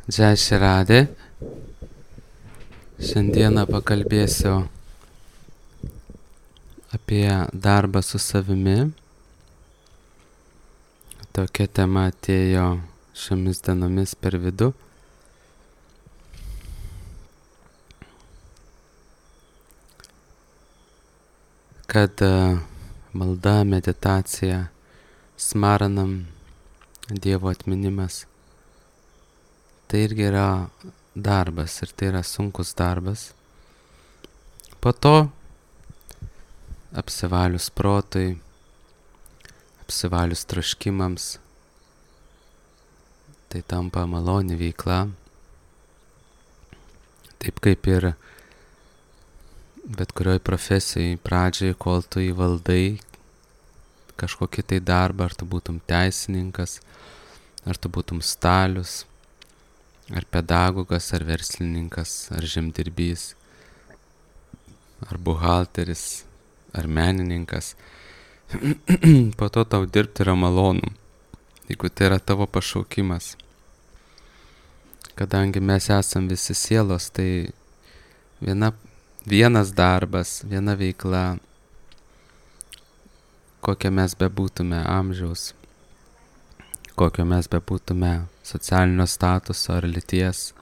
Jai Širadė. Šiandieną pakalbėsiu apie darbą su savimi. Tokia tema atėjo šiomis dienomis per vidų. Kad malda, meditacija, smaranam, Dievo atminimas, tai irgi yra darbas ir tai yra sunkus darbas. Po to apsivalius protui, apsivalius troškimams, tai tampa maloni veikla. Taip kaip ir bet kurioj profesijai pradžiai, kol tu įvaldai kažkokį tai darbą, ar tu būtum teisininkas, ar tu būtum stalius, ar pedagogas, ar verslininkas, ar žemdirbys, ar buhalteris, ar menininkas. Po to tau dirbti yra malonu, jeigu tai yra tavo pašaukimas. Kadangi mes esam visi sielos, tai vienas darbas, viena veikla, kokia mes bebūtume amžiaus, kokio mes bebūtume socialinio statuso ar lyties.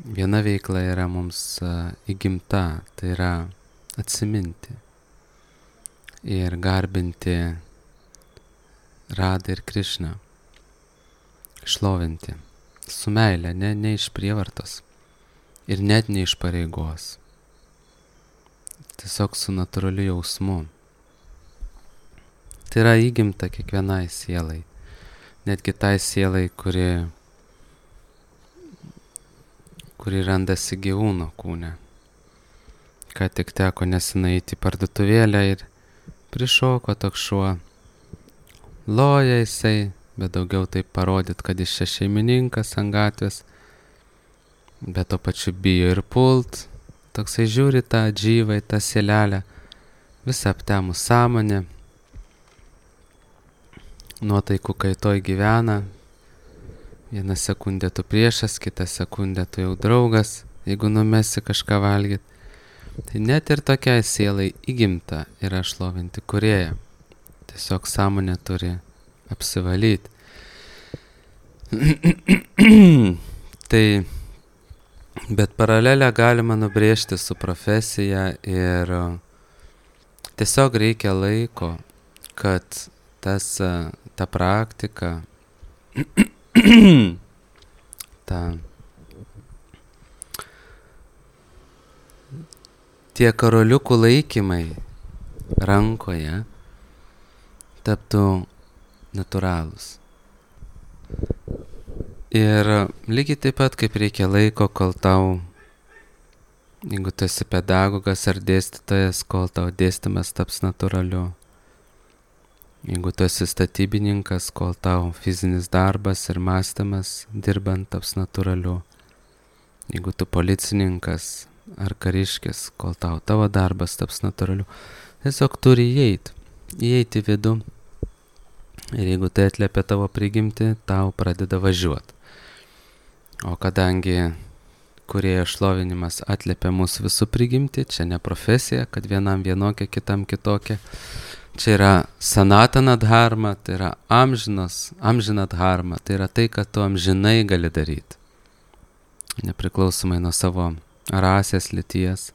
Viena veikla yra mums įgimta, tai yra atsiminti ir garbinti Radą ir Krišną, šlovinti su meile, ne iš prievartos ir net ne iš pareigos. Tiesiog su natūraliu jausmu. Tai yra įgimta kiekvienai sielai, netgi tai sielai, kuri randasi gyvūno kūne. Ką tik teko nesenai eiti į parduotuvėlę ir prišoko toks šuo. Loja jisai, bet daugiau taip parodyt, kad jis čia šeimininkas ant gatvės, bet to pačiu bijo ir pult. Toksai žiūri tą džyvą, tą sielelę, visą aptemus sąmonę, nuotaikų kaitoj gyvena. Vieną sekundę tu priešas, kitą sekundę tu jau draugas, jeigu numesi kažką valgyt. Tai net ir tokiai sielai įgimta yra šlovinti Kūrėją. Tiesiog sąmonė turi apsivalyti. Tai bet paralelę galima nubrėžti su profesija ir tiesiog reikia laiko, kad ta praktika, tie karoliukų laikymai rankoje taptų natūralūs. Ir lygiai taip pat, kaip reikia laiko, kol tau, jeigu tu esi pedagogas ar dėstytojas, kol tau dėstymas taps natūraliu. Jeigu tu esi statybininkas, kol tau fizinis darbas ir mąstymas dirbant taps natūraliu. Jeigu tu policininkas ar kariškis, kol tavo darbas taps natūraliu. Tiesiog turi įeiti vidų. Ir jeigu tai atliepia tavo prigimtį, tau pradeda važiuoti. O kadangi Kūrėjo šlovinimas atliepia mūsų visų prigimtį, čia ne profesija, kad vienam vienokia, kitam kitokia. Čia yra sanatana dharma, tai yra amžina dharma, tai yra tai, kad tu amžinai gali daryti. Nepriklausomai nuo savo rasės, lyties,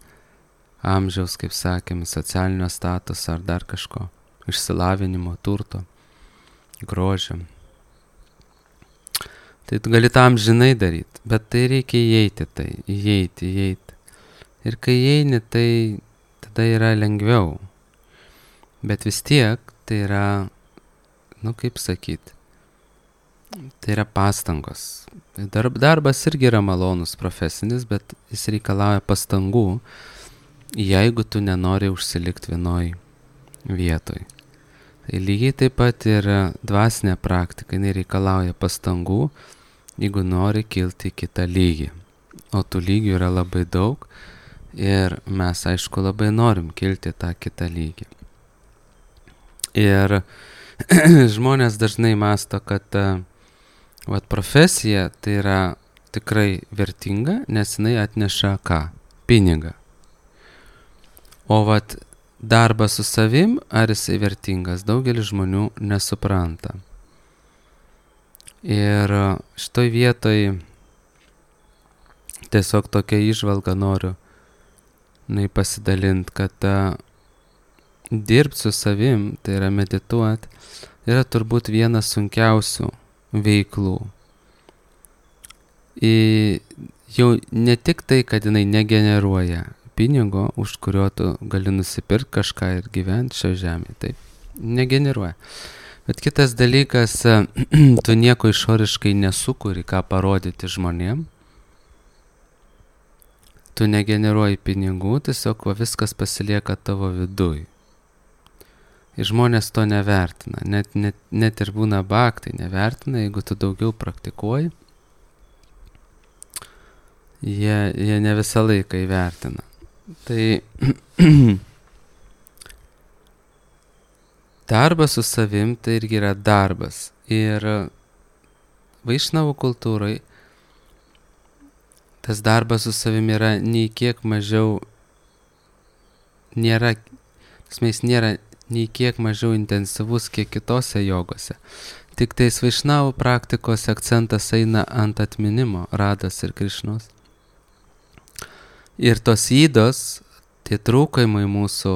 amžiaus, kaip sakėme, socialinio statuso ar dar kažko, išsilavinimo, turto, grožio. Tai tu gali tą amžinai daryti, bet tai reikia įeiti. Ir kai įeini, tai tada yra lengviau. Bet vis tiek tai yra, kaip sakyti, tai yra pastangos. Darbas irgi yra malonus profesinis, bet jis reikalauja pastangų, jeigu tu nenori užsilikti vienoj vietoj. Tai lygiai taip pat ir dvasinė praktika, jinai reikalauja pastangų, jeigu nori kilti į kitą lygį. O tų lygių yra labai daug ir mes, aišku, labai norim kilti tą kitą lygį. Ir žmonės dažnai mąsto, kad Vat profesija tai yra tikrai vertinga, nes jinai atneša ką? Pinigą. O vat darbas su savim, ar jisai vertingas, daugelis žmonių nesupranta. Ir šitoj vietoj tiesiog tokia įžvalga noriu pasidalinti, kad dirbti su savim, tai yra medituoti, yra turbūt vienas sunkiausių veiklų. Jau ne tik tai, kad jinai negeneruoja pinigo, už kurio tu gali nusipirkti kažką ir gyventi šio žemėje, taip, negeneruoja. Bet kitas dalykas, tu nieko išoriškai nesukuri, ką parodyti žmonėm. Tu negeneruoji pinigų, tiesiog viskas pasilieka tavo viduj. Ir žmonės to nevertina, net ir būna bhaktai nevertina, jeigu tu daugiau praktikuoji, jie ne visą laiką įvertina. Tai darbas su savim tai irgi yra darbas. Ir vaišnavų kultūrai tas darbas su savim yra nei kiek mažiau, nėra nei kiek mažiau intensyvus kiek kitose jogose. Tik tais vaišnavų praktikos akcentas eina ant atminimo Rados ir Krišnos. Ir tos ydos, tie trūkumai mūsų,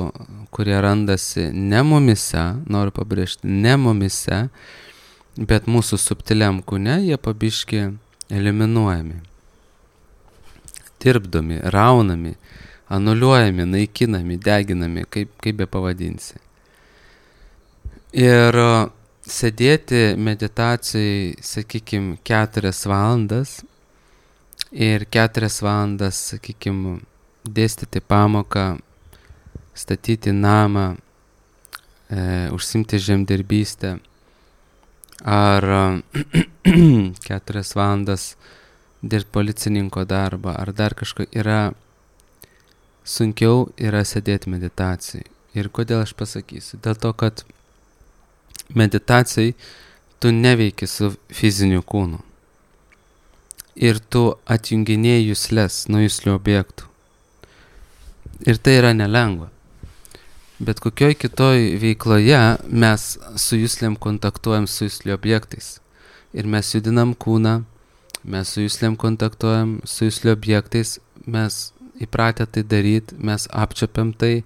kurie randasi ne mumise, noriu pabrėžti, ne mumise, bet mūsų subtiliam kūne, jie pabiški eliminuojami, tirpdomi, raunami, anuliuojami, naikinami, deginami, kaip be pavadinsi. Ir sėdėti meditacijai, sakykime, 4 valandas ir 4 valandas, sakykime, dėstyti pamoką, statyti namą, užsimti žemdirbystę, ar 4 valandas dirbti policininko darbą, ar dar kažko, yra sunkiau yra sėdėti meditacijai. Ir kodėl aš pasakysiu? Dėl to, kad meditacijai tu neveiki su fiziniu kūnu. Ir tu atjunginėjai jusles nuo juslių objektų. Ir tai yra nelengva. Bet kokioj kitoj veikloje mes su juslėm kontaktuojam su juslių objektais. Ir mes judinam kūną, mes su juslėm kontaktuojam su juslių objektais, mes įpratę tai daryti, mes apčiapiam tai,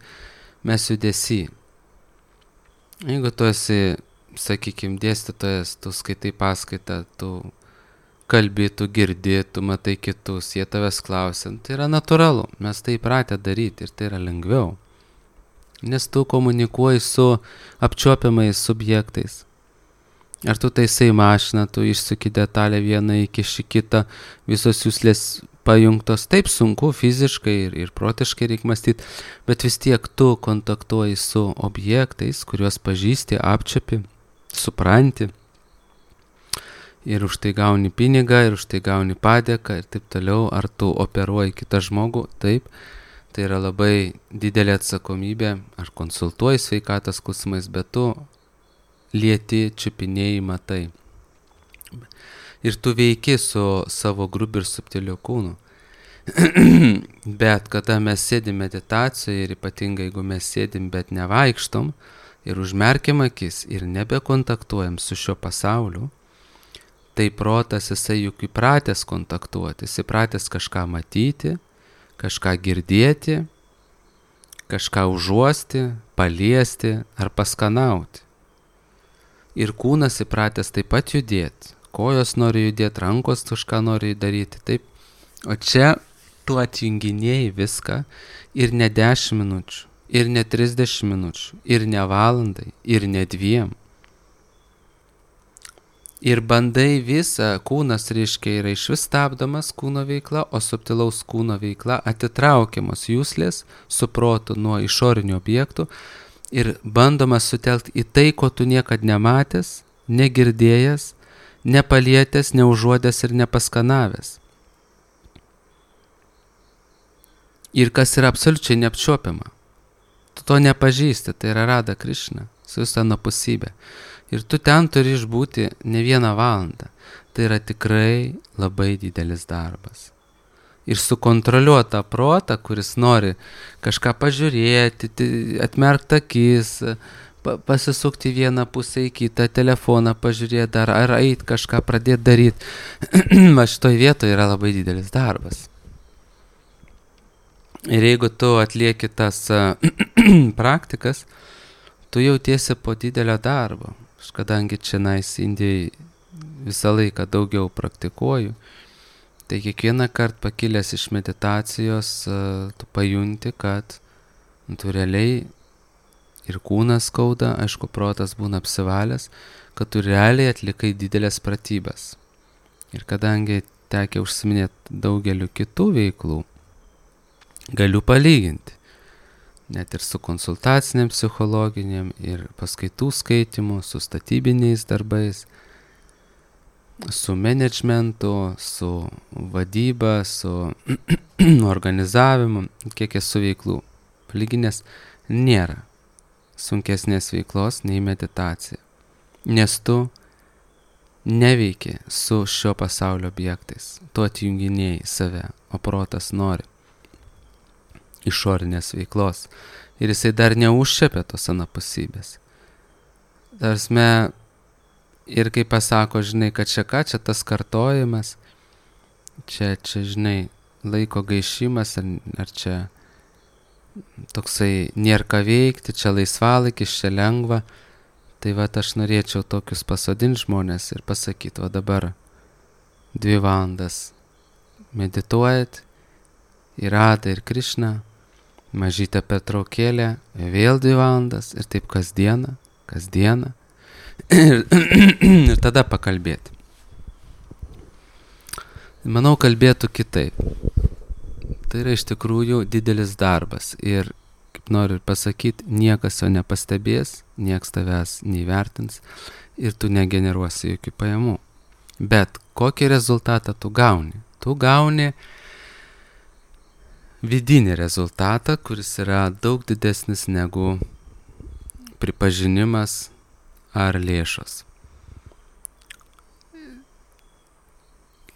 mes judesy. Jeigu tu esi, sakykime, dėstytojas, tu skaitai paskaitą, tu kalbi, tu girdi, tu matai kitus, jie tavęs klausia, tai yra natūralu, mes tai įpratę daryti ir tai yra lengviau. Nes tu komunikuoji su apčiuopiamais subjektais. Ar tu taisai mašiną, tu išsuki detalę vieną įkiši kitą, visos juslės pajungtos, taip sunku fiziškai ir protiškai reikia mąstyti, bet vis tiek tu kontaktuoji su objektais, kuriuos pažįsti, apčiuopi, supranti. Ir už tai gauni pinigą, ir už tai gauni padėką ir taip toliau. Ar tu operuoji kitą žmogų? Taip. Tai yra labai didelė atsakomybė. Ar konsultuoji sveikatos klausimais, bet tu lieti, čiupinėjai, matai. Ir tu veiki su savo grubiu ir subtiliu kūnu. Bet kada mes sėdim meditacijoje ir ypatingai jeigu mes sėdim, bet nevaikštom ir užmerkiam akis ir nebekontaktuojam su šio pasauliu, tai protas jisai juk įpratęs kontaktuoti, jis įpratęs kažką matyti, kažką girdėti, kažką užuosti, paliesti ar paskanauti. Ir kūnas įpratęs taip pat judėti, kojos nori judėti, rankos kažką nori daryti, taip. O čia tu atjunginėjai viską ir ne 10 minučių, ir ne 30 minučių, ir ne valandai, ir ne 2. Ir bandai visą, kūnas reiškia yra išvis stabdomas kūno veikla, o subtilaus kūno veikla atitraukiamos juslės su protu nuo išorinių objektų ir bandoma sutelkti į tai, ko tu niekad nematęs, negirdėjęs, nepalietęs, neužuodęs ir nepaskanavęs. Ir kas yra absoliučiai neapčiuopiama. Tu to nepažįsti, tai yra Rada Krišna, su visa anapusybė. Ir tu ten turi išbūti ne 1 valandą. tai yra tikrai labai didelis darbas. Ir sukontroliuota protą, kuris nori kažką pažiūrėti, atmerkti akis, pasisukti vieną pusę į kitą, telefoną pažiūrėti dar, ar eit kažką pradėti daryti. Va šitoj vietoje yra labai didelis darbas. Ir jeigu tu atlieki tas praktikas, tu jautiesi po didelio darbo. Aš kadangi čia Indijai visą laiką daugiau praktikuoju, tai kiekvieną kartą pakilęs iš meditacijos, tu pajunti, kad tu realiai ir kūnas skauda, aišku, protas būna apsivalęs, kad tu realiai atlikai didelės pratybas. Ir kadangi tekia užsiminėti daugeliu kitų veiklų, galiu palyginti. Net ir su konsultaciniam psichologiniam, ir paskaitų skaitimu, su statybiniais darbais, su managementu, su vadyba, su organizavimu, kiek esu veiklų. Palyginęs nėra sunkesnės veiklos nei meditacija. Nes tu neveiki su šio pasaulio objektais. Tu atjunginėjai save, o protas nori išorinės veiklos. Ir jisai dar neužčiapė tos anapusybės. Tarsme, ir kai pasako, žinai, kad čia ką, čia tas kartojimas, čia žinai, laiko gaišimas, ar čia toksai nėra ką veikti, čia laisvalaikis, čia lengva, tai va aš norėčiau tokius pasodinti žmonės ir pasakyti, va dabar 2 valandas medituojat į Radą ir Krišną, mažytę pertraukėlę, vėl 2 valandas ir taip kasdieną ir tada pakalbėti. Manau, kalbėtų kitaip. Tai yra iš tikrųjų didelis darbas ir, kaip noriu pasakyti, niekas jo nepastebės, nieks tavęs neįvertins ir tu negeneruosi jokių pajamų. Bet kokį rezultatą tu gauni? Tu gauni vidinį rezultatą, kuris yra daug didesnis negu pripažinimas ar lėšos.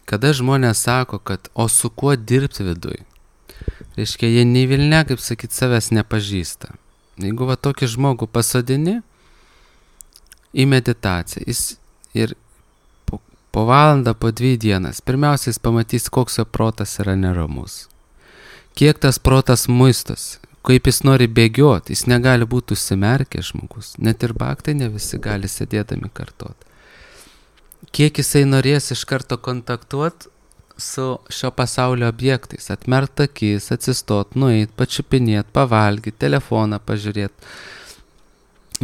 Kada žmonės sako, kad o su kuo dirbti viduj, reiškia, jie nei vilne, kaip sakyt, savęs nepažįsta. Jeigu va tokį žmogų pasodini į meditaciją, jis ir po valandą, po 2 dienas, pirmiausia, jis pamatys, koks jo protas yra neramus. Kiek tas protas muistas, kaip jis nori bėgioti, jis negali būti užsimerkęs žmogus, net ir bhaktai ne visi gali sėdėdami kartuoti. Kiek jisai norės iš karto kontaktuoti su šio pasaulio objektais, atmerkt akis, atsistot, nueit, pačiupinėt, pavalgyti, telefoną pažiūrėti,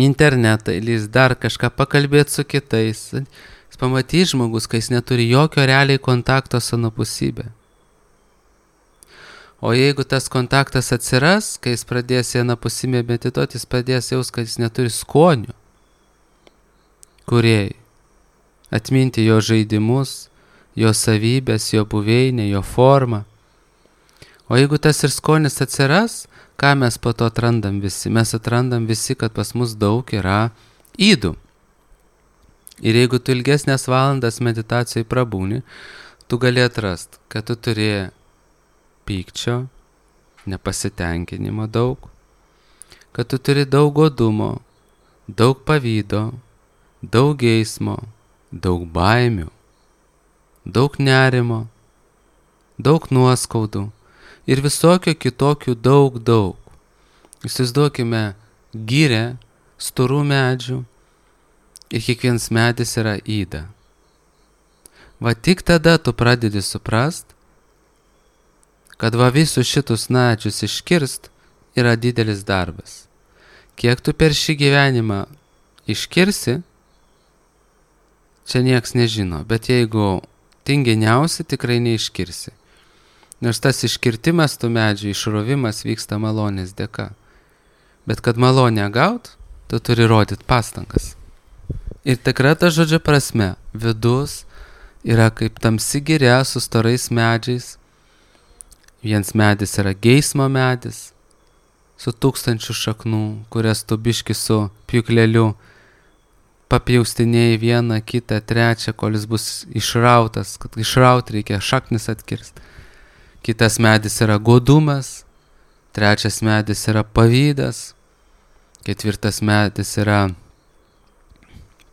internetą, įlįst, dar kažką pakalbėti su kitais. Jis pamatys žmogus, kai jis neturi jokio realiai kontakto su anapusybė. O jeigu tas kontaktas atsiras, kai jis pradės į anapusybę medituoti, jis pradės jaus, kad jis neturi skonių, kurie atminti jo žaidimus, jo savybės, jo buveinę, jo formą. O jeigu tas ir skonis atsiras, ką mes po to atrandam visi? Mes atrandam visi, kad pas mus daug yra ydų. Ir jeigu tu ilgesnės valandas meditacijai prabūni, tu gali atrast, kad tu turi pykčio, nepasitenkinimo daug, kad tu turi daug godumo, daug pavydo, daug geismo, daug baimių, daug nerimo, daug nuoskaudų ir visokio kitokių daug. Įsivaizduokime gyrę storų medžių ir kiekvienas medis yra yda. Va tik tada tu pradedi suprast, kad va visus šitus medžius iškirst yra didelis darbas. Kiek tu per šį gyvenimą iškirsi, čia nieks nežino, bet jeigu tinginiausi, tikrai neiškirsi. Nors tas iškirtimas tų medžių, išrovimas vyksta malonės dėka. Bet kad malonę gaut, tu turi rodyti pastangas. Ir tikra ta žodžio prasme, vidus yra kaip tamsi giria su storais medžiais. Vienas medis yra geismo medis, su 1000 šaknų, kurias tu biški su pjūkleliu papjaustinėjai vieną, kitą, trečią, kol jis bus išrautas, kad išrauti reikia šaknis atkirsti. Kitas medis yra godumas, trečias medis yra pavydas, ketvirtas medis yra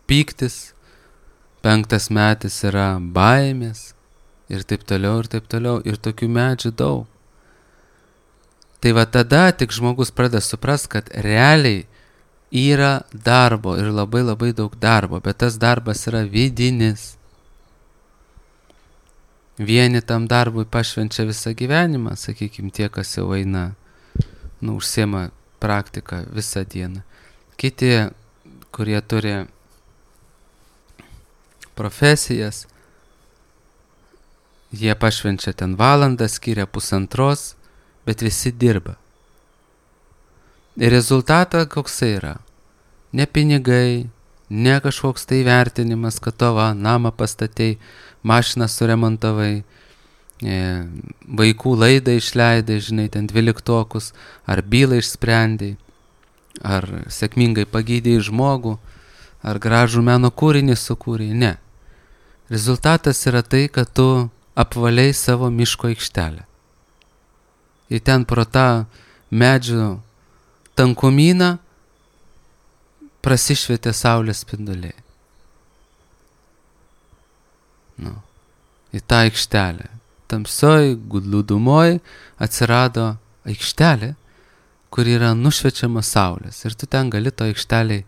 pyktis, penktas medis yra baimės ir taip toliau, ir taip toliau, ir tokių medžių daug. Tai va tada tik žmogus pradeda suprast, kad realiai yra darbo ir labai labai daug darbo, bet tas darbas yra vidinis. Vieni tam darbui pašvenčia visą gyvenimą, sakykime, tie, kas jau eina, užsiema praktiką visą dieną. Kiti, kurie turi profesijas, jie pašvenčia ten valandą, skiria pusantros, bet visi dirba. Ir rezultatą koksai yra? Ne pinigai, ne kažkoks tai vertinimas, kad tavo namą pastatei, mašiną suremontavai, vaikų laidą išleidai, žinai, ten 12-okus, ar bylą išsprendai, ar sėkmingai pagydėjai žmogų, ar gražų meno kūrinį sukūrei. Ne. Rezultatas yra tai, kad tu apvaliai savo miško aikštelę. Ir ten pro tą medžių tankumyną prasišvietė saulės spinduliai. Į tą aikštelę. Tamsoj, glūdumoj atsirado aikštelė, kur yra nušviečiama saulės. Ir tu ten gali to aikšteliai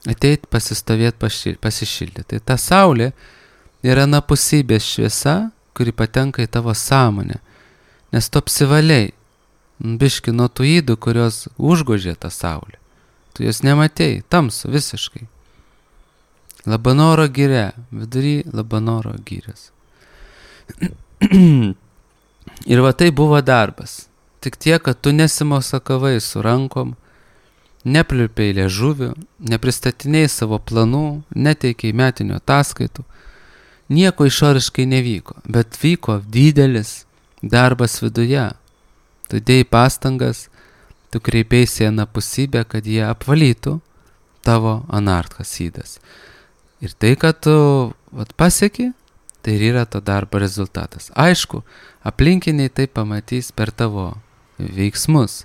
ateit, pasistovėti, pasišildyti. Tai ta saulė yra anapusybės šviesa, kuri patenka į tavo sąmonę. Nes tu apsivaliai, biški nuo tų ydų, kurios užgožė tą saulę. Tu jos nematei, tamsu visiškai. Labanoro giria, vidury Labanoro girios. Ir va tai buvo darbas. Tik tiek, kad tu nesimosakavai su rankom, nepliurpiai liežuviu, nepristatinėjai savo planų, neteikiai metinių ataskaitų. Nieko išoriškai nevyko, bet vyko didelis darbas viduje. Tu dėjai pastangas, tu kreipėsi į anapusybę, kad jie apvalytų tavo anarthas ydas. Ir tai, kad tu pasieki, tai ir yra to darbo rezultatas. Aišku, aplinkiniai tai pamatys per tavo veiksmus.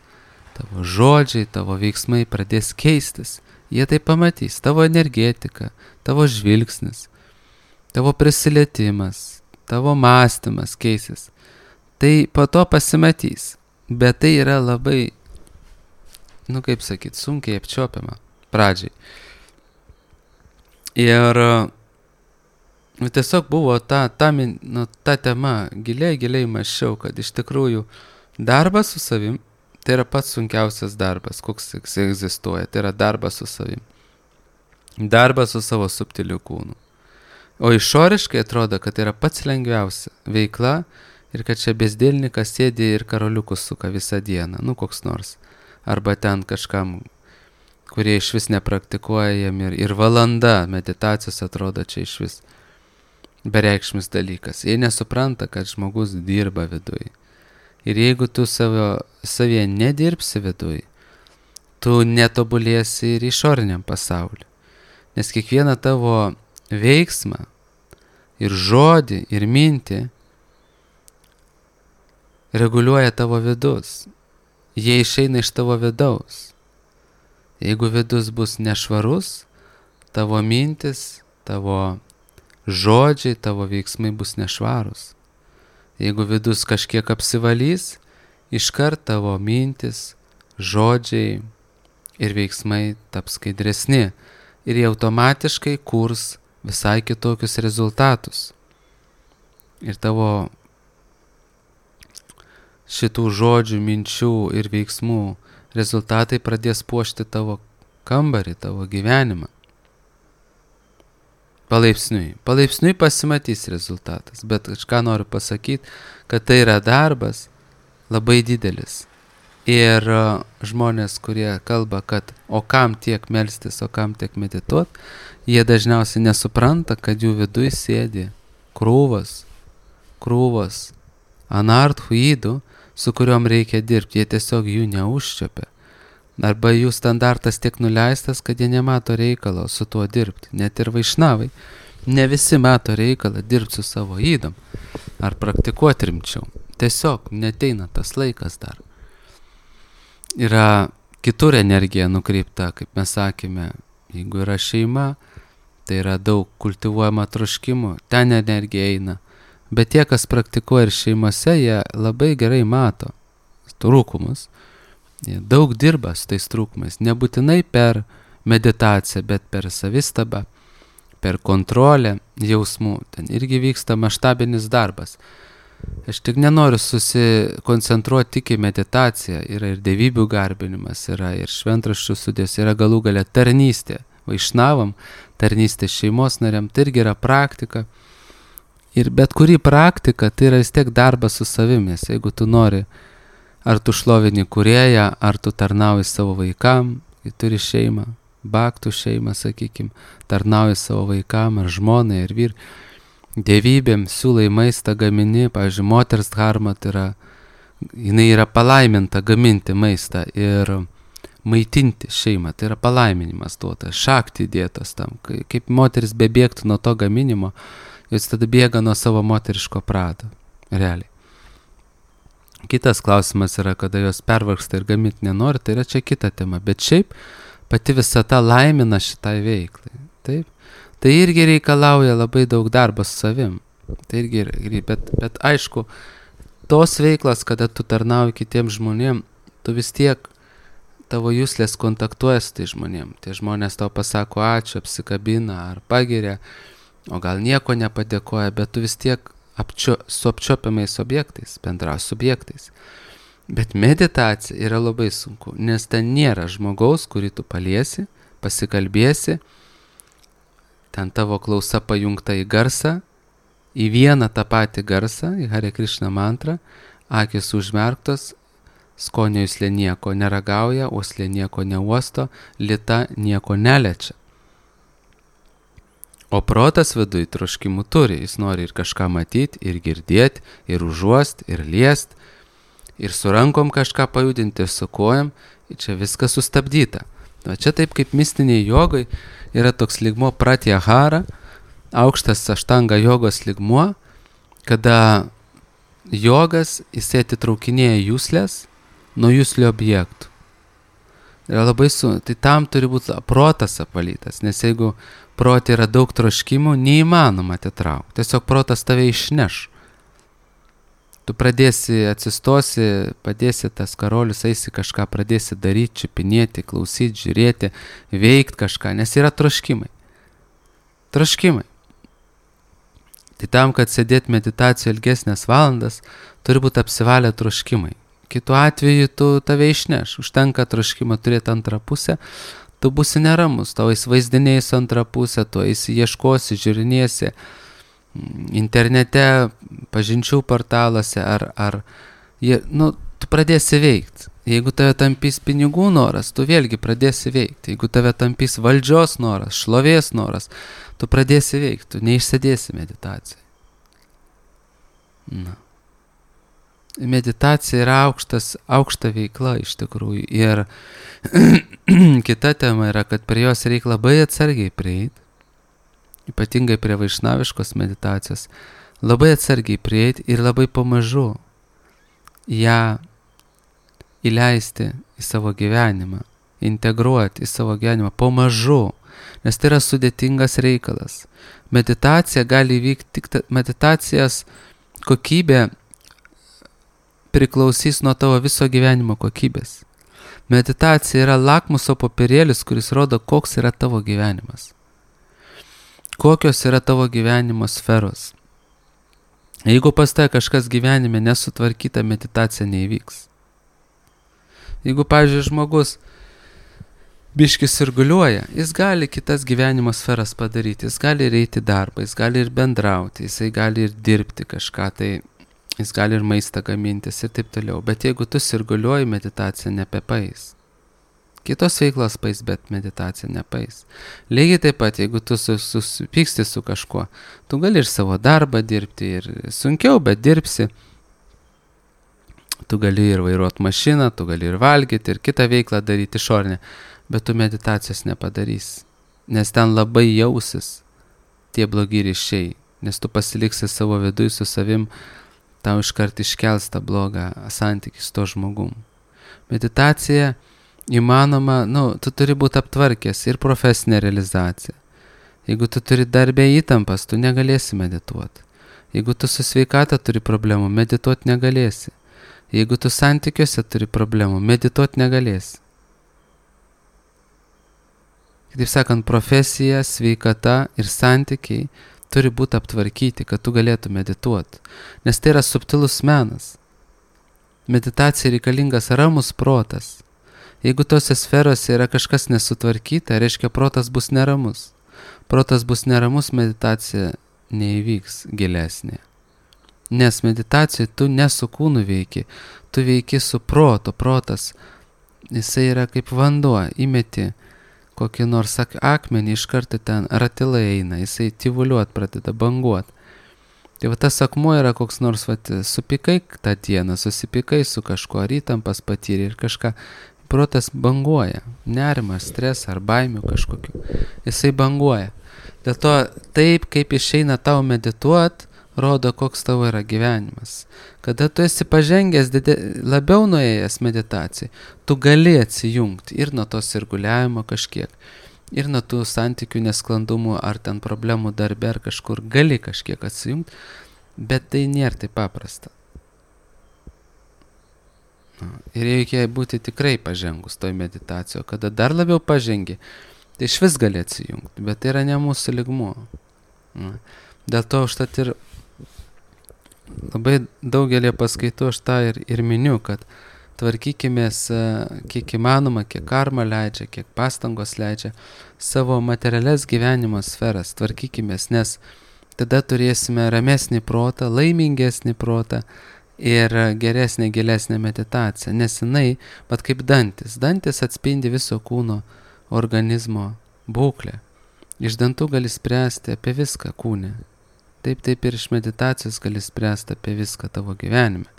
Tavo žodžiai, tavo veiksmai pradės keistis. Jie tai pamatys. Tavo energetika, tavo žvilgsnis, tavo prisilietimas, tavo mąstymas keisis. Tai po to pasimatys. Bet tai yra labai, sunkiai apčiuopiama pradžiai. Ir tiesiog buvo ta tema, giliai mąsčiau, kad iš tikrųjų darbas su savim, tai yra pats sunkiausias darbas, koks egzistuoja, tai yra darbas su savim. Darbas su savo subtiliu kūnu. O išoriškai atrodo, kad tai yra pats lengviausia veikla ir kad čia bezdėlnikas sėdi ir karoliukus suka visą dieną, koks nors. Arba ten kažkam, kurie iš vis nepraktikuojam ir valanda meditacijos atrodo čia iš vis bereikšmis dalykas. Jie nesupranta, kad žmogus dirba viduj. Ir jeigu tu savyje nedirbsi viduj, tu netobulėsi ir išoriniam pasauliu. Nes kiekvieną tavo veiksmą ir žodį ir mintį reguliuoja tavo vidus. Jie išeina iš tavo vidaus. Jeigu vidus bus nešvarus, tavo mintis, tavo žodžiai, tavo veiksmai bus nešvarus. Jeigu vidus kažkiek apsivalys, iškart tavo mintis, žodžiai ir veiksmai taps skaidresni ir jie automatiškai kurs visai kitokius rezultatus. Ir tavo šitų žodžių, minčių ir veiksmų rezultatai pradės puošti tavo kambarį, tavo gyvenimą. Palaipsniui pasimatys rezultatas, bet aš ką noriu pasakyti, kad tai yra darbas labai didelis. Ir žmonės, kurie kalba, kad o kam tiek melstis, o kam tiek medituot, jie dažniausiai nesupranta, kad jų viduj sėdi krūvos anarthų ydų, su kuriuom reikia dirbti, jie tiesiog jų neužčiopia. Arba jų standartas tiek nuleistas, kad jie nemato reikalo su tuo dirbti. Net ir vaišnavai. Ne visi mato reikalą dirbti su savo ydom. Ar praktikuoti rimčiau. Tiesiog neteina tas laikas dar. Yra kitur energija nukreipta, kaip mes sakėme. Jeigu yra šeima, tai yra daug kultivuojama troškimų. Ten energija eina. Bet tie, kas praktikuoja ir šeimose, jie labai gerai mato trūkumus. Jie daug dirba su tais trūkumais. Nebūtinai per meditaciją, bet per savistabą, per kontrolę jausmų. Ten irgi vyksta maštabinis darbas. Aš tik nenoriu susikoncentruoti tik į meditaciją. Yra ir dievybių garbinimas, yra ir šventraščių sudės, yra galų galia tarnystė. Vaišnavam, tarnystė šeimos nariam, tai irgi yra praktika. Ir bet kuri praktika, tai yra vis tiek darbas su savimės. Jeigu tu nori, ar tu šlovini kūrėją, ar tu tarnauji savo vaikam, kai turi šeimą, baktų šeimą, sakykim, tarnauji savo vaikam, ar žmonai, ar vyr. Dievybėm siūlai maistą gamini, pavyzdžiui, moters dharma, tai yra, jinai yra palaiminta gaminti maistą ir maitinti šeimą, tai yra palaiminimas duotas, šakti dėtos tam, kaip moteris bebėgtų nuo to gaminimo, jos tada bėga nuo savo moteriško prado, realiai. Kitas klausimas yra, kada jos pervargsta ir gaminti nenori, tai yra čia kita tema, bet šiaip pati visata laimina šitai veiklai, taip? Tai irgi reikalauja labai daug darbo su savim, tai irgi, bet aišku, tos veiklos, kada tu tarnauji kitiems žmonėm, tu vis tiek tavo juslės kontaktuoja su tai žmonėm, tie žmonės tau pasako ačiū, apsikabina ar pagiria, o gal nieko nepadėkoja, bet tu vis tiek su apčiopiamais objektais, bendraus subjektais. Bet meditacija yra labai sunku, nes ten nėra žmogaus, kurį tu paliesi, pasikalbėsi, ten tavo klausa pajungta į garsą, į vieną tą patį garsą, į Hare Krishna mantrą, akis užmerktos, skonio juslė nieko neragauja, uoslė nieko neuosto, lita nieko neliečia. O protas viduj troškimų turi, jis nori ir kažką matyti, ir girdėti, ir užuost, ir liest, ir su rankom kažką pajudinti, ir su kojam, ir čia viskas sustabdyta. O čia taip kaip mistiniai jogai yra toks lygmuo pratyahara, aukštas aštanga jogos lygmuo, kada jogas jisai atitraukinėja juslės nuo juslio objektų. Yra labai tai tam turi būti protas apvalytas, nes jeigu protė yra daug troškimų, neįmanoma atitraukti. Tiesiog protas tave išneš. Tu pradėsi, atsistosi, padėsi tas karolius, eisi kažką, pradėsi daryti, čiupinėti, klausyti, žiūrėti, veikti kažką, nes yra troškimai. Troškimai. Tai tam, kad sėdėti meditacijoje ilgesnės valandas, turi būti apsivalę troškimai. Kitu atveju tu tave išneš. Užtenka troškimą turėti antrą pusę, tu būsi neramus, tau įsivaizdinėjus antrą pusę, tu ieškosi, žiūrinėsi internete, pažinčių portaluose, tu pradėsi veikti. Jeigu tave tampys pinigų noras, tu vėlgi pradėsi veikti. Jeigu tave tampys valdžios noras, šlovės noras, tu pradėsi veikti, tu neišsėdėsi meditacijai. Meditacija yra aukšta veikla iš tikrųjų. Ir kita tema yra, kad prie jos reikia labai atsargiai prieiti, ypatingai prie vaišnaviškos meditacijos, labai atsargiai prieiti ir labai pamažu ją įleisti į savo gyvenimą, integruoti į savo gyvenimą pamažu, nes tai yra sudėtingas reikalas. Meditacija gali vykti, tik meditacijos kokybė priklausys nuo tavo viso gyvenimo kokybės. Meditacija yra lakmuso popierėlis, kuris rodo, koks yra tavo gyvenimas. Kokios yra tavo gyvenimo sferos. Jeigu pas tave kažkas gyvenime nesutvarkyta, meditacija neįvyks. Jeigu, pavyzdžiui, žmogus biškis sirguliuoja, jis gali kitas gyvenimo sferas padaryti, jis gali eiti darbą, jis gali ir bendrauti, jisai gali ir dirbti kažką, tai jis gali ir maistą gamintis ir taip toliau. Bet jeigu tu sirguliuoji, meditacija nepepais. Kitos veiklos pais, bet meditacija nepais. Lygiai taip pat, jeigu tu susipyksti su kažkuo, tu gali ir savo darbą dirbti, ir sunkiau, bet dirbsi. Tu gali ir vairuoti mašiną, tu gali ir valgyti, ir kitą veiklą daryti išorinę, bet tu meditacijos nepadarysi, nes ten labai jausis tie blogi ryšiai, nes tu pasiliksi savo viduje su savim, tau iškart iškels tą blogą santykį su to žmogum. Meditacija įmanoma, tu turi būti aptvarkęs ir profesinę realizaciją. Jeigu tu turi darbę įtampas, tu negalėsi medituoti. Jeigu tu su sveikata turi problemų, medituoti negalėsi. Jeigu tu santykiuose turi problemų, medituoti negalėsi. Kitaip sakant, profesija, sveikata ir santykiai turi būti aptvarkyti, kad tu galėtų medituoti. Nes tai yra subtilus menas. Meditacija reikalingas ramus protas. Jeigu tose sferose yra kažkas nesutvarkyta, reiškia protas bus neramus. Protas bus neramus, meditacija neįvyks gilesnė. Nes meditacijoje tu ne su kūnu veiki, tu veiki su protu. Protas, jisai yra kaip vanduo, įmeti kokį nors akmenį, iš karto ten ratilai eina, jisai tyvuliuot pradeda, banguot. Tai tas akmuo yra koks nors, supykai tą dieną, susipykai su kažkuo, ar įtampas patyrė ir kažką. Protas banguoja, nerimas, stresą ar baimių kažkokiu. Jisai banguoja. Dėl to taip, kaip išeina tau medituot, rodo, koks tavo yra gyvenimas. Kada tu esi pažengęs, labiau nuėjęs meditacijai, tu gali atsijungti ir nuo to sirguliavimo kažkiek, ir nuo tų santykių nesklandumų, ar ten problemų darbe, ar kažkur gali kažkiek atsijungti, bet tai nėra taip paprasta. Ir reikia būti tikrai pažengus toj meditacijoje, kada dar labiau pažengi, tai iš vis gali atsijungti, bet tai yra ne mūsų lygmuo. Dėl to užtat ir labai daugelį paskaitų aš tą ir miniu, kad tvarkykimės kiek įmanoma, kiek karma leidžia, kiek pastangos leidžia, savo materialias gyvenimo sferas tvarkykimės, nes tada turėsime ramesnį protą, laimingesnį protą ir geresnė, gilesnė meditacija, nes jinai, bet kaip dantis. Dantis atspindi viso kūno organizmo būklę. Iš dantų gali spręsti apie viską kūne. Taip ir iš meditacijos gali spręsti apie viską tavo gyvenime.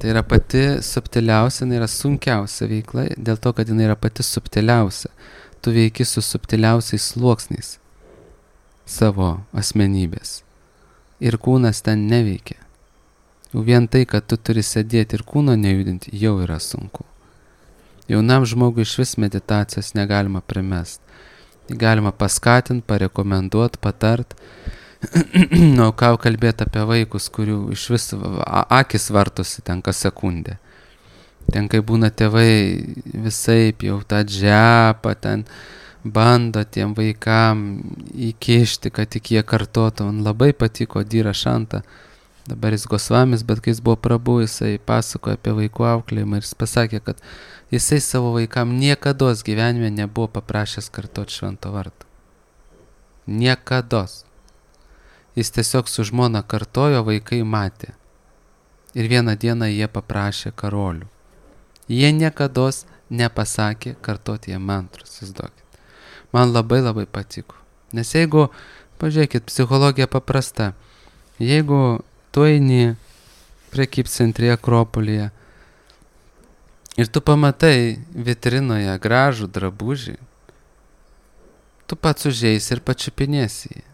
Tai yra pati subtiliausia, jinai yra sunkiausia veikla, dėl to, kad jinai yra pati subtiliausia. Tu veiki su subtiliausiais sluoksniais savo asmenybės. Ir kūnas ten neveikia. Jau vien tai, kad tu turi sėdėti ir kūno nejudinti, jau yra sunku. Jaunam žmogui iš vis meditacijos negalima primest. Galima paskatinti, parekomenduoti, patart. Ką kalbėti apie vaikus, kurių iš vis akis vartosi ten kas sekundę. Ten, kai būna tėvai visaip jau tą džepą, ten bando tiem vaikam įkišti, kad tik jie kartotų. Man labai patiko Dyra Šanta, dabar jis Gosvamis, bet kai jis buvo Prabhu, jisai pasakojo apie vaikų auklėjimą ir jis pasakė, kad jisai savo vaikam niekados gyvenime nebuvo paprašęs kartoti švento vardo. Niekados. Jis tiesiog su žmona kartojo, vaikai matė. Ir vieną dieną jie paprašė karolių. Jie niekados nepasakė kartoti jie mantrus, įsivaizduokit. Man labai labai patiko. Nes jeigu, pažiūrėkit, psichologija paprasta. Jeigu tu eini prekybcentrėje Akropolyje ir tu pamatai vitrinoje gražų drabužį, tu pats užeisi ir pačiupinėsi jį.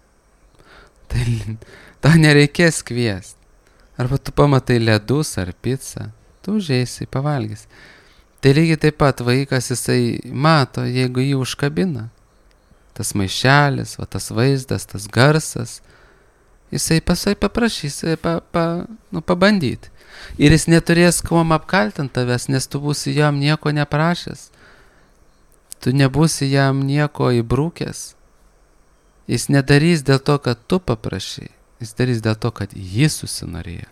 Tai tau nereikės kviesti. Arba tu pamatai ledus ar pizzą, tu užeisi, pavalgysi. Tai lygiai taip pat vaikas jisai mato, jeigu jį užkabina. Tas maišelis, tas vaizdas, tas garsas, jisai paprašys pabandyti. Ir jis neturės kuom apkaltinti tavęs, nes tu būsi jam nieko neprašęs. Tu nebūsi jam nieko įbrūkęs. Jis nedarys dėl to, kad tu paprašai. Jis darys dėl to, kad jis susinorėjo.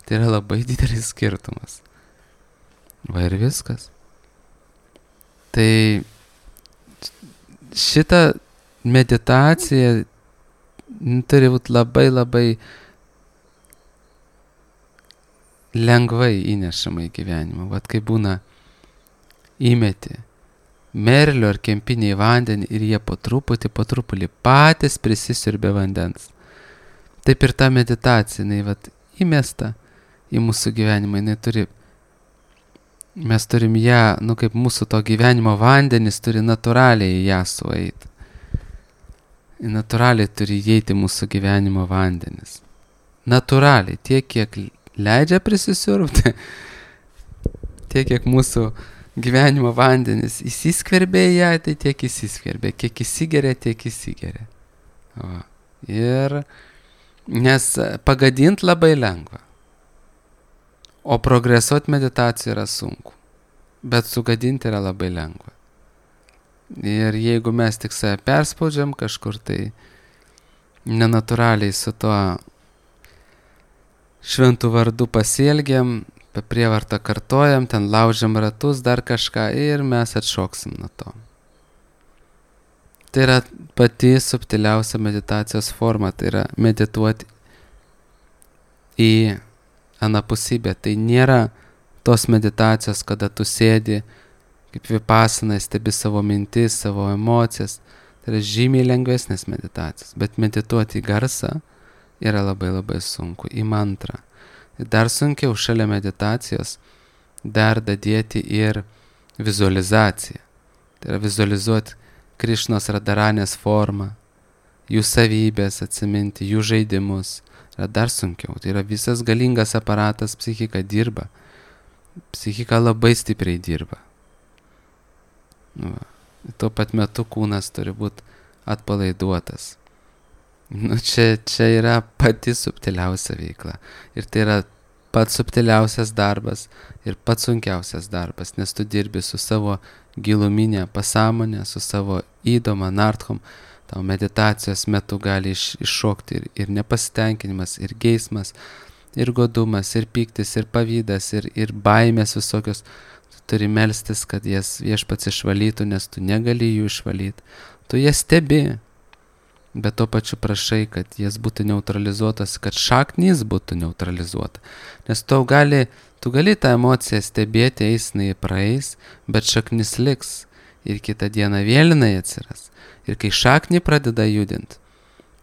Tai yra labai didelis skirtumas. Va ir viskas. Tai šitą meditacija turi būti labai labai lengvai įnešama į gyvenimą. Vat kai būna įmeti merlio ar kempinį į vandenį ir jie po truputį patys prisisiurbė vandens. Taip ir ta meditacija, jinai vat įmesta į mūsų gyvenimą, mes turim ją, kaip mūsų to gyvenimo vandenis turi natūraliai į ją sueiti. Natūraliai turi įeiti mūsų gyvenimo vandenis. Natūraliai, tiek kiek leidžia prisisiurbti, tiek kiek mūsų gyvenimo vandenis įsiskverbė į ją, tai tiek įsiskverbė, kiek įsigeria, tiek įsigeria. Ir nes pagadint labai lengva, o progresuoti meditacija yra sunku, bet sugadinti yra labai lengva. Ir jeigu mes tik save perspaudžiam kažkur, tai nenatūraliai su tuo šventų vardu pasielgiam, prievartą kartojam, ten laužiam ratus, dar kažką ir mes atšoksim nuo to. Tai yra pati subtiliausia meditacijos forma, tai yra medituoti į anapusybę. Tai nėra tos meditacijos, kada tu sėdi kaip vipassana, stebi savo mintis, savo emocijas. Tai yra žymiai lengvesnės meditacijos, bet medituoti į garsą yra labai labai sunku, į mantrą. Dar sunkiau šalia meditacijos dar dadėti ir vizualizaciją. Tai yra vizualizuoti Krišnos Radharanės formą, jų savybės atsiminti, jų žaidimus. Yra dar sunkiau. Tai yra visas galingas aparatas, psichika dirba. Psichika labai stipriai dirba. Tuo pat metu kūnas turi būti atpalaiduotas. Čia yra pati subtiliausia veikla. Ir tai yra pats subtiliausias darbas ir pats sunkiausias darbas, nes tu dirbi su savo giluminė pasąmonė, su savo įdom, anarthom. Tau meditacijos metu gali iššokti ir nepasitenkinimas, ir geismas, ir godumas, ir pyktis, ir pavydas, ir baimės visokios. Tu turi melstis, kad jas viešpats išvalytų, nes tu negali jų išvalyti. Tu jas stebi. Bet to pačiu prašai, kad jas būtų neutralizuotas, kad šaknys būtų neutralizuota. Nes tu gali tą emociją stebėti, eisnai praeis, bet šaknis liks ir kitą dieną vėl jinai atsiras. Ir kai šaknį pradeda judinti,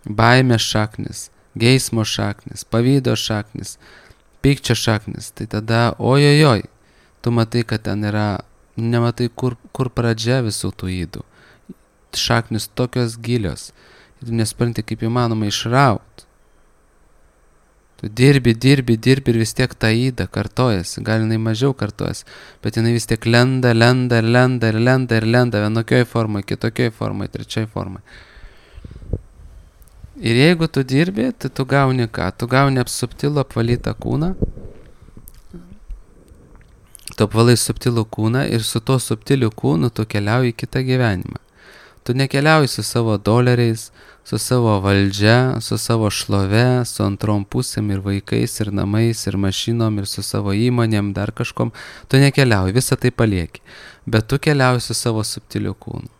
baimės šaknis, geismo šaknis, pavydo šaknis, pykčio šaknis, tai tada ojojoj, tu matai, kad ten yra, nematai kur pradžia visų tų ydų. Šaknis tokios gilios. Tu nespranti, kaip įmanoma išraut. Tu dirbi ir vis tiek ta įda kartojasi. Gal jinai mažiau kartojasi, bet jinai vis tiek lenda vienokioj formai, kitokioj formai, trečioj formai. Ir jeigu tu dirbi, tai tu gauni ką? Tu gauni subtilų apvalytą kūną. Tu apvalai subtilų kūną ir su to subtiliu kūnu tu keliauji į kitą gyvenimą. Tu nekeliauji su savo doleriais, su savo valdžia, su savo šlove, su antrom pusėm ir vaikais, ir namais, ir mašinom, ir su savo įmonėm, dar kažkom. Tu nekeliauji, visą tai palieki. Bet tu keliauji su savo subtiliu kūnu.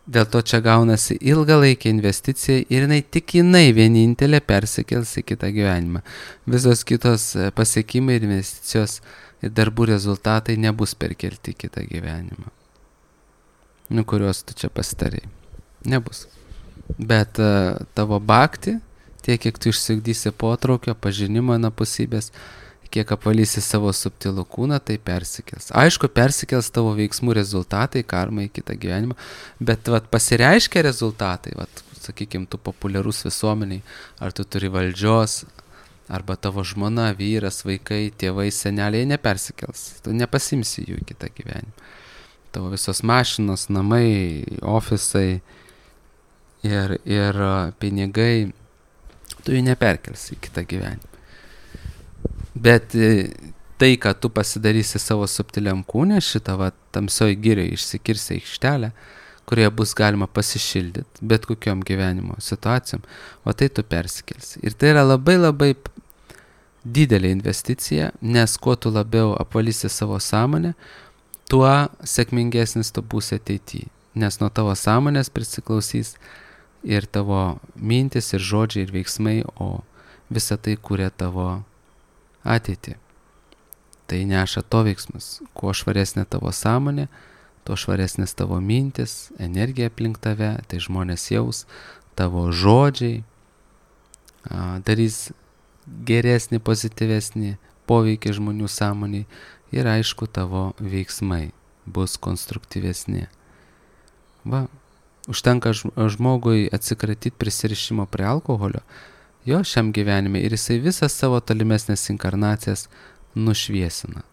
Dėl to čia gaunasi ilgalaikė investicija ir jinai vienintelė persikels į kitą gyvenimą. Visos kitos pasiekimai ir investicijos ir darbų rezultatai nebus perkelti į kitą gyvenimą. Kuriuos tu čia pasitarėjai. Nebus. Bet tavo bhakti, tiek kiek tu išsiugdysi potraukio, pažinimo anapusybės, kiek apvalysi savo subtilų kūną, tai persikels. Aišku, persikels tavo veiksmų rezultatai, karma į kitą gyvenimą, bet pasireiškia rezultatai, sakykime, tu populiarus visuomeniai, ar tu turi valdžios, arba tavo žmona, vyras, vaikai, tėvai, seneliai nepersikels. Tu nepasimsi jų į kitą gyvenimą. Tavo visos mašinos, namai, ofisai ir pinigai, tu jų neperkelsi į kitą gyvenimą. Bet tai, kad tu pasidarysi savo subtiliam kūne, šitą tamsioj girioj išsikirsi aikštelę, kurioje bus galima pasišildyti bet kokiom gyvenimo situacijom, o tai tu persikelsi. Ir tai yra labai labai didelė investicija, nes kuo tu labiau apvalysi savo sąmonę, tuo sėkmingesnis tu būsi ateityje, nes nuo tavo sąmonės prisiklausys ir tavo mintis, ir žodžiai, ir veiksmai, o visa tai kuria tavo ateitį. Tai neša to veiksmus. Kuo švaresnė tavo sąmonė, tuo švaresnės tavo mintis, energija aplink tave, tai žmonės jaus, tavo žodžiai darys geresnį, pozityvesnį poveikį žmonių sąmoniai ir aišku tavo veiksmai bus konstruktyvesni. Va, užtenka žmogui atsikratyti prisirišimo prie alkoholio, jo šiam gyvenime ir jisai visas savo tolimesnės inkarnacijas nušviesina.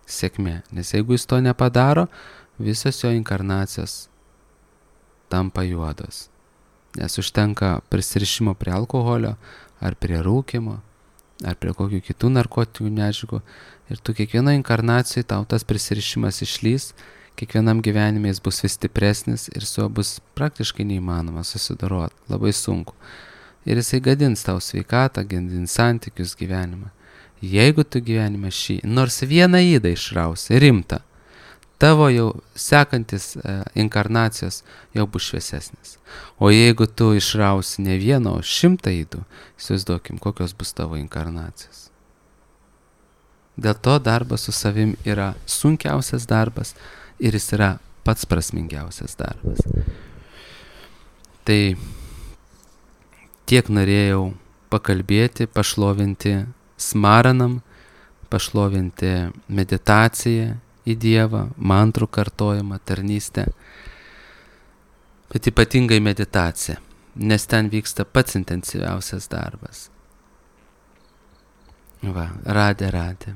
Sėkmė, nes jeigu jis to nepadaro, visos jo inkarnacijos tampa juodos. Nes užtenka prisirišimo prie alkoholio, ar prie rūkymo, ar prie kokių kitų narkotinių medžiagų. Ir tu kiekvieno inkarnacijai tau tas prisirišimas išlys, kiekvienam gyvenime jis bus vis stipresnis ir su juo bus praktiškai neįmanoma susidoroti, labai sunku. Ir jisai gadins tau sveikatą, gadins santykius, gyvenimą. Jeigu tu gyvenime šį, nors vieną ydą išrausi, rimtą, tavo jau sekantis inkarnacijos jau bus šviesesnis. O jeigu tu išrausi ne vieną, o 100 ydų, įsivaizduokim, kokios bus tavo inkarnacijos. Dėl to darbas su savim yra sunkiausias darbas ir jis yra pats prasmingiausias darbas. Tai tiek norėjau pakalbėti, pašlovinti smaranam, pašlovinti meditaciją į Dievą, mantrų kartojimą, tarnystę, bet ypatingai meditacija, nes ten vyksta pats intensyviausias darbas. Va, radė.